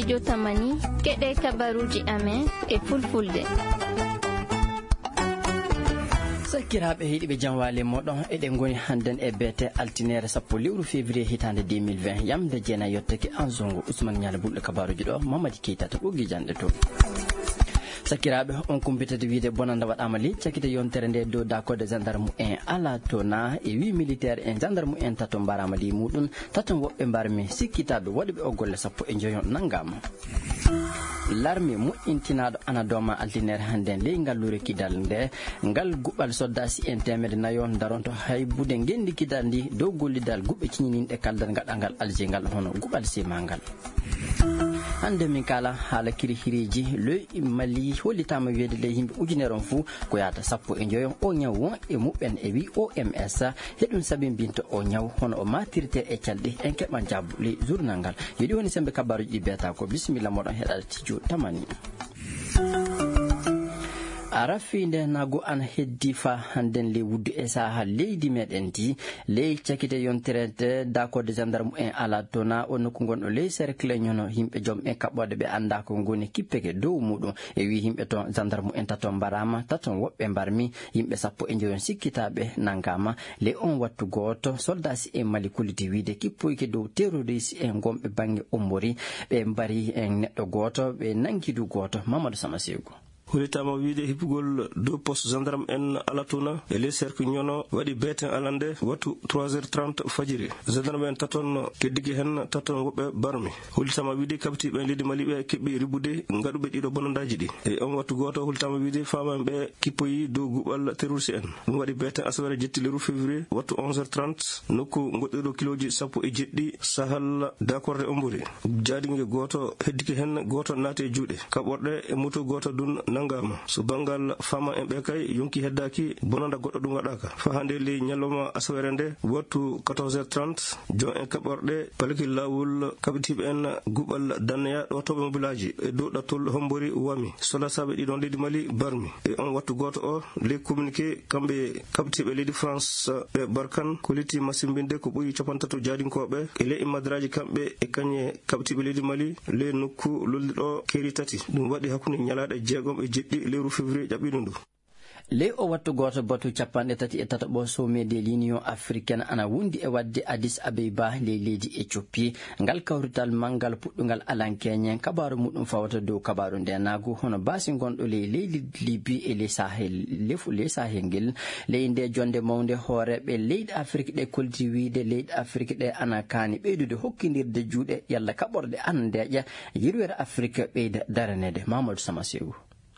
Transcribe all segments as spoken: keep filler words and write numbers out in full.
Yo tamani, keɗe kabaruuji amen e fulfulde. Sakiraaɓe heɗiiɓe, jam waali e mooɗon. Eɗen ngoni hannden e beete altineere sappo lewru février hitaande deux mille vingt. Yamde jeenayi yottake Anzongo. Ousmane Ñaale Bulɗo kabaaruuji ɗo, Mamadi Keita to ɓoggi janɗe to. Sakiraaɓe, on kumpitata wiide bonanda waɗaama ley cakite yontere nde dow daakorde gendarme en Alatona e wi militaire en gendarme en tato mbaraama ley muɗum, tato woɓɓe mbarmi sikkitaaɓe waɗuɓe o golle sappo e njoyo nanngaama. Larme moƴƴintinaaɗo ana dooma altinere hannden ley ngalluure kidal nde, ngal guɓal soldasi en teemedde nayo daronto haybude ngenndi kidal ndi dow gollidal guɓe ciñininɗe kaldal gaɗangal Alger ngal hono guɓal semangal. Hannde min kaala haala kiri hiriiji ley Mali, hollitaama wiyeede ley yimɓe ujunere on fuu ko yaata sappo e njoyo o ñaw won e muɓɓen e wi O M S, heɗum sabimbinta o ñaw hono o matirte e calɗi. En keɓan jaabu ley journal ngal. Yo ɗi woni sembe kabaruuji ɗi beeta ko. Bisimilla moɗon heɗaade tijo tamani. A rafi nde nago ana heddi fa hannden ley wuddu e saha leydi meɗen ndi. Ley cakite yontere de dakorde gendarme en Alatona o nokku gonɗo ley cercle ñono yimɓe joom ɓe kaɓɓorde ɓe annda ko ngoni kippeke dow muɗum. E wi yimɓe toon gendarme en tato mbarama, tato woɓɓe mbarmi, yimɓe sappo e njoyon sikkitaɓe nangama. Ley on wattu gooto soldasi en Mali kolliti wiide kippoyke dow terroriste en gonɓe bannge Ombori, ɓe mbari en neɗɗo gooto, ɓe nangi du gooto. Mamadou Sama Segu. Holitaama wiide hippugol dow poste gendarme en Alatuna e ley cercle ñono waɗi beeten alande wattu trois heures trente fajiri. Gendarme en taton keddiki hen taton woɓɓe barmi. Holitaama wiide kabtiiɓe leydi Mali ɓe keɓɓi ribbude ngaɗuɓe ɗiɗo bonandaaji ɗi. E on wattu gooto holitaama wiide faama en ɓe kippoyi dow guɓal terroriste en. Ɗum waɗi beeten asawere jetti leru février wattu onze heures trente nokku goɗɗiɗo kilooji sappo e jeɗɗi sahal dakorde Ombori. Jaadinge gooto heddike hen, gooto naati e juuɗe kaɓorɗe e moto gooto dun nangama. So banngal faama en ɓe kay yonki heddaaki, bonanda goɗɗo ɗum waɗaaka. Fa hande ley ñalawma asawere nde, wattu quatorze heures trente, jon en kaɓorɗe palki laawol kaɓitiiɓe en guɓal danneya ɗo toɓe mobilaaji e dow ɗattol Hombori wami. Solasaaɓe ɗiɗon leydi Mali barmi. E on wattu gooto o, ley communiqué, kamɓe kaɓitiiɓe leydi France ɓe Barkan kolliti masimbinde ko ɓuri capantato jaadinkooɓe e ley madraji kamɓe e kañe kaɓitiiɓe leydi Mali ley nokku lolliɗo keeri tati. Ɗum waɗi hakkunde ñalaaɗe jeegom e jeɗɗi lewru février ƴaɓɓiɗo ndu. Ley o wattu gooto batu capanɗe tati e tataɓo sommet de l'Union africaine ana wondi e waɗde Addis Abeba ley leydi Éthiopie. Ngal kawrital manngal puɗɗungal alankeñe kabaaru muɗum fawata dow kabaaru ndenaagu hono baasi gonɗo ley leydi Libi e ley Sahel, lefu ley Sahel ngel. Ley nde jonde mawnde hooreeɓe leyɗe Afrik ɗe kolti wiide leyɗe Afrik ɗe ana kaani ɓeydude hokkindirde juuɗe yalla kaɓorɗe ana ndeeƴa yirwere Afrik ɓeyda daraneede. Mamadou Sama Segu.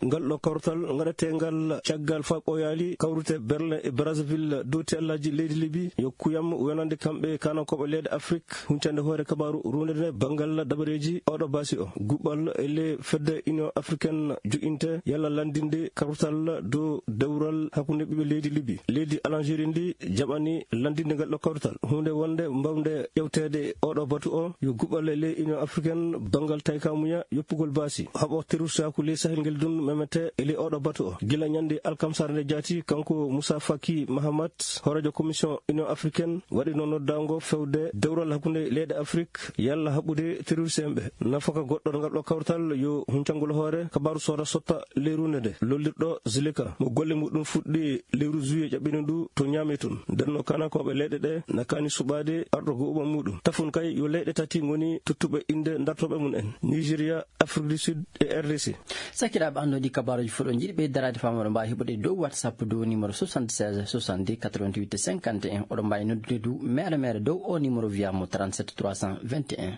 Ngal ɗo kawrital ngaɗeteengal caggal fa ɓooyaali kawrite Berlin e Brazzaville dowti allaji leydi Libi yo kuyam wonande kamɓe kanankooɓe leyɗe Afrik huncande hoore kabaaru runde nde banngal dabareeji oɗo baasi o. Guɓɓal e ley fedde Union africaine joƴinte yalla lanndinde kawrital dow dewral hakkunde ɓiɓɓe leydi Libi. Leydi Algérie ndi jaɓani lanndinde ngal ɗo kawrital. Huunde wonde mbawde ƴewteede oɗo batu o yo guɓɓal e ley Union africaine banngal taykamuya yoppugol baasi haɓo terroristaaku ley Sahel ngel dun memete e ley oɗo batu o. Gila ñande alkamsare nde jaati, kanko Moussa Faki Mahamat, hooreejo commission Union africaine, waɗi noon noddaango fewde dewral hakkunde leyɗe Afrik yalla haɓɓude terroriste en ɓe. Nafaka goɗɗo ngal ɗo kawtal yo huncangol hoore kabaaru soda sotta ley runde nde. Lollirɗo Zilika mo golle muɗum fuɗɗi lewru juillet ƴaɓɓino ndu to Niamey tun. Ndenno kanankooɓe leyɗe ɗe na kaani suɓaade arɗo go'uɓam muɗum. Tafun kay yo leyɗe tati ngoni tottuɓe innde dartooɓe mum en, Nigeria, Afrique du Sud e R D C. Sakiraaɓe, anndo ɗi kabaaruuji fof ɗo njiɗi ɓe daraade fam, oɗo mbaawi heɓude dow WhatsApp dow numéro soixante-seize soixante-dix quatre-vingt-huit cinquante et un. Oɗo mbaawi noddude du mere mere dow o numéro via mo trente-sept trois cent vingt et un.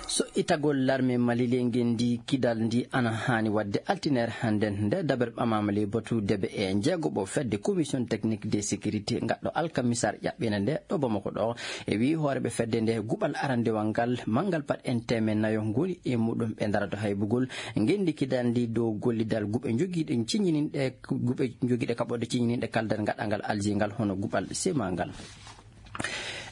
So itagol larme Mali ley ngenndi kidal ndi ana haani waɗde altiner hannden nde daɓere ɓamaama ley batu debe e jeegoɓo fedde commission technique de sécurité ngaɗɗo alkamisar ƴaɓɓina nde ɗo Bamako ɗo. E wi hooreɓe fedde nde guɓal arandewal ngal manngal pat en teemen nayo ngoni e muɗum ɓe darata haybugol ngenndi kidal ndi dow gollidal guɓe jogiiɗe ciñininɗe guɓe jogiiɗe kaɓɓorde ciñininɗe kaldal gaɗangal Alger ngal hono guɓal sema ngal.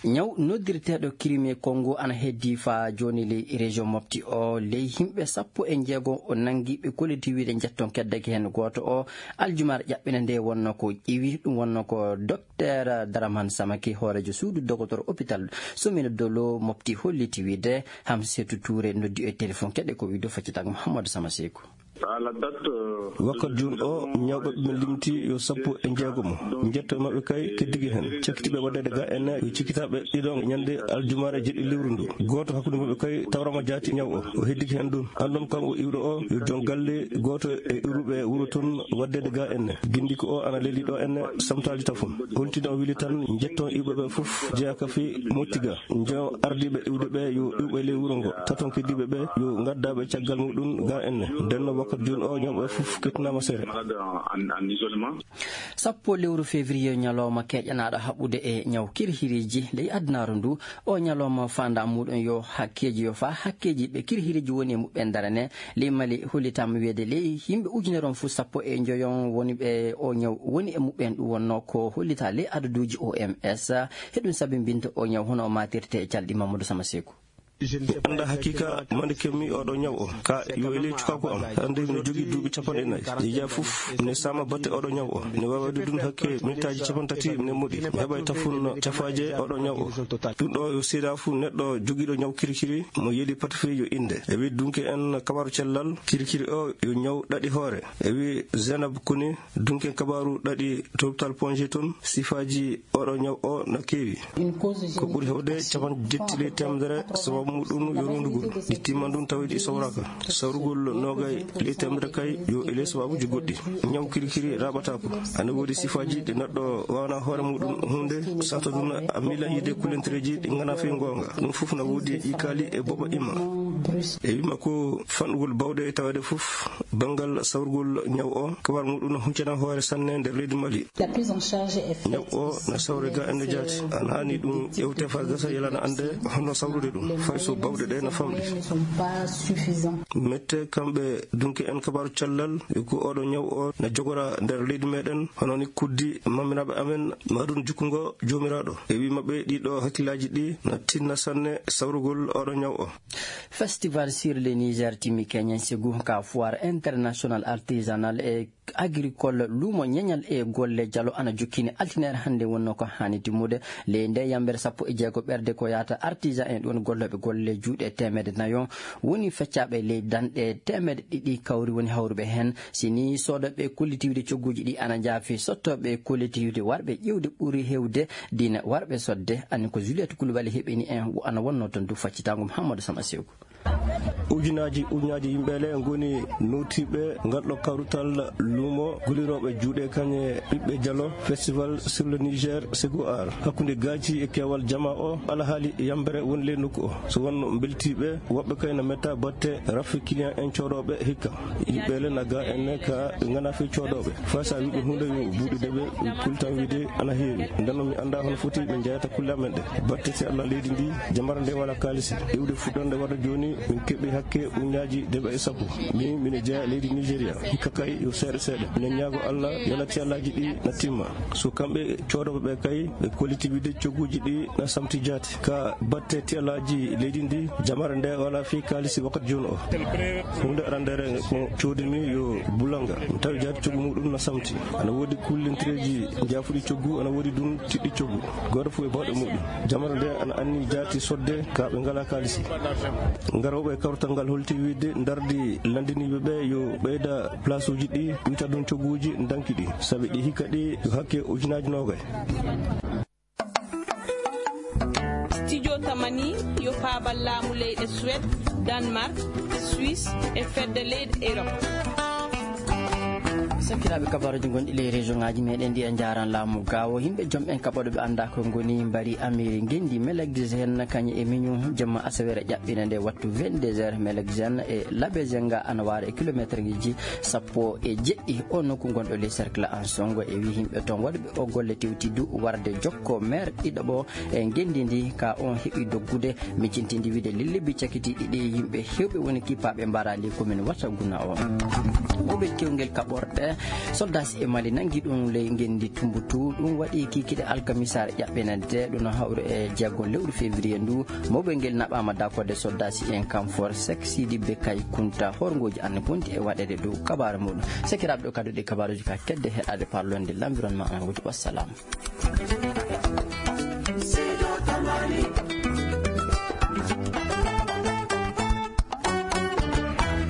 Ñaw noddirteeɗo Crimée Congo ana heddii faa jooni ley région Mopti o. Ley yimɓe sappo e njeego o nanngi ɓe kolliti wiyde njetton keddaki heen gooto o. Aljumaare ƴaɓɓina nde wonnoo ko ƴiwi, ɗum wonnoo ko Docteur Daraman Samaki, hooreejo suudu dogotor hôpital Somino Dolo Mopti, holliti wiyde Hamsetu Touré noddi e téléphone. Keɗe ko wiyde faccitaango Mouhamadou Sama Seeku. Wakkati jooni o, ñawɓe ɓe min limti yo sappo e jeegomo. Njetto e maɓɓe kay keddike heen. Cakkitiiɓe waɗeede ga enne, yo cikkitaaɓe ɗiɗo ñande aljumaare jeɗɗi lewru ndu. Gooto hakkunde maɓɓe kay tawrama jaati ñaw o. O heddike heen ɗum. Anndon kanko iwɗo o, yo joom galle gooto e iwruɓe wuro toon waɗeede ga enne. Gindiko o ana leli ɗo enne samtaaji tafon. Holtino o wili tan, njetton iwɓe ɓe fof jeyaa ka fii moƴƴi ga. Njo ardiiɓe iwde ɓe yo iwɓe ley wuro ngo. Taton keddiiɓe ɓe yo ngadda ɓe caggal muɗum ga enne. Nden no wakkati jooni o ñawɓe fof kettinaama sere. Sappo lewru février, ñalawma keƴanaaɗo haɓude e ñaw kirhiriji ley adunaaru ndu. O ñalawma faandaa muɗum yo hakkeeji, yo faa hakkeeji ɓe kirhiriji woni e muɓɓen darane. Ley Mali hollitaama wiyeede ley yimɓe ujunere on fof sappo e njoyon woni ɓe o ñaw woni e muɓɓen. Ɗum wonnoo ko hollitaa ley adaduuji O M S. Heɗum sabi mbinta o ñaw hono o maatirte e calɗi Mamadou Sama Seeku. Mi anndaa hakiika mande kemmi oɗo ñaw o. Ka yo e ley cukaaku am. Hannde mi jogii duuɓi capanɗe nayi. Yeeya fof ne saama batte oɗo ñaw o. Ne waawi waɗde ɗum hakke minitaaji capanɗe tati ne moɗi. Mi heɓay tafun cafaaje oɗo ñaw o. Ɗum ɗo yo seedaa fu neɗɗo jogiiɗo ñaw kirikiri mo yeli pata fii yo innde. E wi dunke en kabaru cellal kirikiri o yo ñaw ɗaɗi hoore. E wi Zainab Kone, dunke kabaaru ɗaɗi to hôpital Ponge toon, sifaaji oɗo ñaw o na keewi. Ko ɓuri heewde capanɗe jetti ley teemedere sababu muɗum yo rundugol. Ɗi timman ɗum tawi ɗi sawraaka. Sawrugol noogay ley teemedere kay yo e ley sababuuji goɗɗi. Ñaw kirikiri raɓataako. Ana woodi sifaaji ɗi neɗɗo waawna hoore muɗum huunde, sato ɗum a miila yiide kulentireeji ɗi nganaa fii ngoonga. Ɗum fof na woodi e ƴiikaali e boɓa imma. E wima ko fanɗugol bawɗe e taweede fof, banngal sawrugol ñaw o, kabaru muɗum na huccana hoore sanne nder leydi Mali. Ñaw o na sawre ga ende jaati. Ana haani ɗum ƴewte faa gasa yalana annde hono sawrude ɗum, fay so bawɗe ɗe na famɗi. Mette kamɓe dunke en kabaru callal, yo ko oɗo ñaw o na jogora nder leydi meɗen, hono ni kuddi maminaaɓe amen, maɗum jukkungo Joomiraaɗo. E wi maɓɓe ɗiɗo hakkillaaji ɗi na tinna sanne sawrugol oɗo ñaw o. Festival sur le Niger timi Kenyan Segu ka foire international artisanal e agricole lumo ñeñal e golle jalo ana jokkini altine hannde wonno ko haani timmude. Ley nde yambere sappo e jeego ɓerde ko yahata artisan en ɗon gollooɓe golle juuɗe teemedde nayo woni feccaaɓe ley danɗe teemedde ɗiɗi kawri woni hawruɓe heen. Si ni soodooɓe kollitiiwde cogguuji ɗi ana njaafi sottooɓe kollitiiwde warɓe ƴiwde ɓuri heewde diina warɓe sodde. Ani ko Juliette Koulibaly heɓini en wo ana wonno toon du faccitaango Mouhamadou Sama Seeku. Ujunaaji, ujunaaji yimɓe le ngoni nootiiɓe ngal ɗo kawrutal luumo golirooɓe juuɗe kañe ɓiɓɓe jalo festival sur le Niger Segu Art. Hakkunde gaaci e keewal jama o, alhaali yambere woni ley nokku o. So wonno mbeltiiɓe, woɓɓe kay na metta batte rafi client en coodooɓe hikka. Yimɓe le na ga en ne ka ɓe ngana fii coodooɓe. Faa sa wiɓe huunde yo buuɗude ɓe, ɓe kultan wiide ana heewi. Ndeno mi annda hono foti ɓe njeyata kulle amen ɗe. Batte si Allah leydi ndi, jamara nde wala kaalisi. Iwde fuɗɗorde warde jooni, min keɓi hakke uñaaji deɓa e sappo. Min, mine jeya leydi Nigeria. Hikka kay yo seeɗa seeɗa. Minen ñaago Allah, yo na tiyalaaji ɗi na timma. So kamɓe coodooɓe ɓe kay, ɓe kolliti wiide cogguuji ɗi na samti jaati. Ka batte tiyalaaji leydi ndi, jamara nde wala fii kaalisi wakkati jooni o. Huunde arandere ko coodimi yo bulanga. Mi tawi jaati coggu muɗum na samti. Ana woodi kullintireeji njaafuɗi coggu, ana woodi ɗum tiɗɗi coggu. Gooto fof e bawɗe muɗum. Jamara nde ana anni jaati sodde ka ɓe ngala kaalisi. Ngarooɓe e kawrital ngal holti wiide ndardi lanndiniiɓe ɓe yo ɓeyda plaasuuji ɗi, wita ɗum cogguuji ndanki ɗi. Sabi ɗi hikka ɗi yo hakke ujunaaji noogay. Studio Tamani yo paabal laamu leyɗe Suède, Danemark, Suisse e fedde leyɗe Europe. Sakiraaɓe, kabaruuji gonɗi ley région ŋaaji meɗen ɗi e njaaran laamu gaawo. Yimɓe jom en kaɓoɗo ɓe annda ko ngoni mbari amiri ngendi Melexen kañe e miñu jemma asawere ƴaɓɓina nde wattu vingt-deux heures. Melexen e Labezenga ana waara e kilometre ngiji sappo e jeɗɗi. O nokku gonɗo ley cercle Ansongo e wi yimɓe toon waɗuɓe o golle tewti du warde jokko maire ɗiɗaɓo e ngendi ndi ka on heɓi doggude. Min cintindi wiide lillibi cakitiiɗi ɗi yimɓe hewɓe woni kippaaɓe mbarali ko min wata guna o. Oɓe kewngel kaɓorɗe. Soldasi e Mali nangi ɗum ley ngenndi Tumbutu. Ɗum waɗi kikiɗe alkamisaare ƴaɓɓenande ɗum no hawri e jeego lewru février ndu. Mawɓe ngel naɓaama dakode soldasi en kam for sek Sidi Bekay Kunta horngooji anne bonti e waɗeede dow kabaare muɗum. Sekiraaɓe ɗo kadi ɗi kabaaruuji ka kedde heɗaade parlonde l'environnement en wuti. Wassalam.